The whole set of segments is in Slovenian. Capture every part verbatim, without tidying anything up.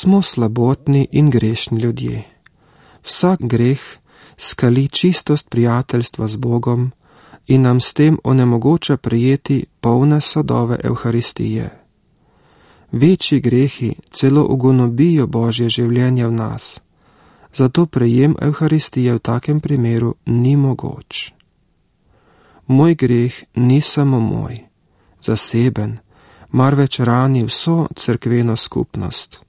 Smo slabotni in grešni ljudje. Vsak greh skali čistost prijateljstva z Bogom in nam s tem onemogoča prejeti polne sadove Evharistije. Večji grehi celo ugonobijo Božje življenje v nas, zato prejem Evharistije v takem primeru ni mogoč. Moj greh ni samo moj, zaseben, marveč rani vso cerkveno skupnost.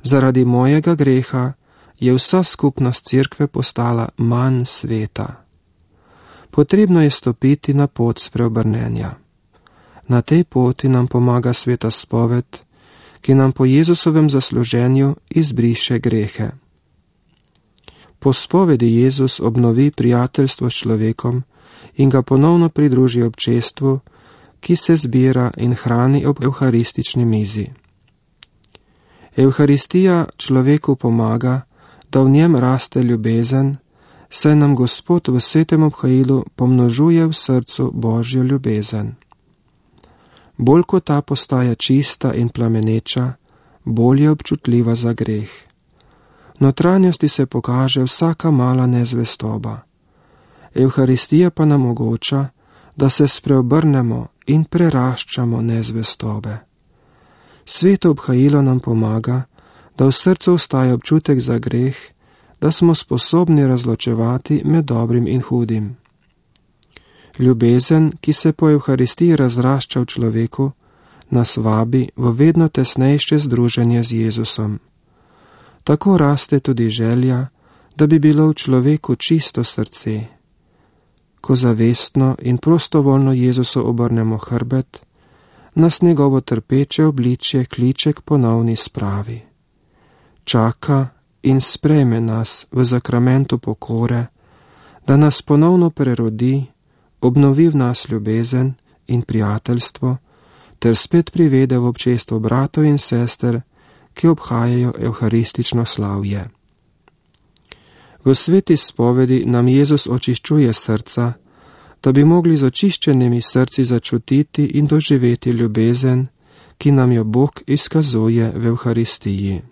Zaradi mojega greha je vsa skupnost cerkve postala manj sveta. Potrebno je stopiti na pot spreobrnenja. Na tej poti nam pomaga sveta spoved, ki nam po Jezusovem zasluženju izbriše grehe. Po spovedi Jezus obnovi prijateljstvo s človekom in ga ponovno pridruži občestvu, ki se zbira in hrani ob evharistični mizi. Evharistija človeku pomaga, da v njem raste ljubezen, saj nam Gospod v svetem obhajilu pomnožuje v srcu Božjo ljubezen. Bolj ko ta postaja čista in plameneča, bolj je občutljiva za greh. V notranjosti se pokaže vsaka mala nezvestoba. Evharistija pa nam omogoča, da se spreobrnemo in preraščamo nezvestobe. Sveto obhajilo nam pomaga, da v srcu ostaja občutek za greh, da smo sposobni razločevati med dobrim in hudim. Ljubezen, ki se po Evharistiji razrašča v človeku, nas vabi v vedno tesnejše združenje z Jezusom. Tako raste tudi želja, da bi bilo v človeku čisto srce. Ko zavestno in prostovoljno Jezusu obrnemo hrbet, nas njegovo trpeče obličje kliče k ponovni spravi. Čaka in sprejme nas v zakramentu pokore, da nas ponovno prerodi, obnovi v nas ljubezen in prijateljstvo, ter spet privede v občestvo bratov in sester, ki obhajajo evharistično slavje. V sveti spovedi nam Jezus očiščuje srca, da bi mogli z očiščenimi srci začutiti in doživeti ljubezen, ki nam jo Bog izkazuje v Evharistiji.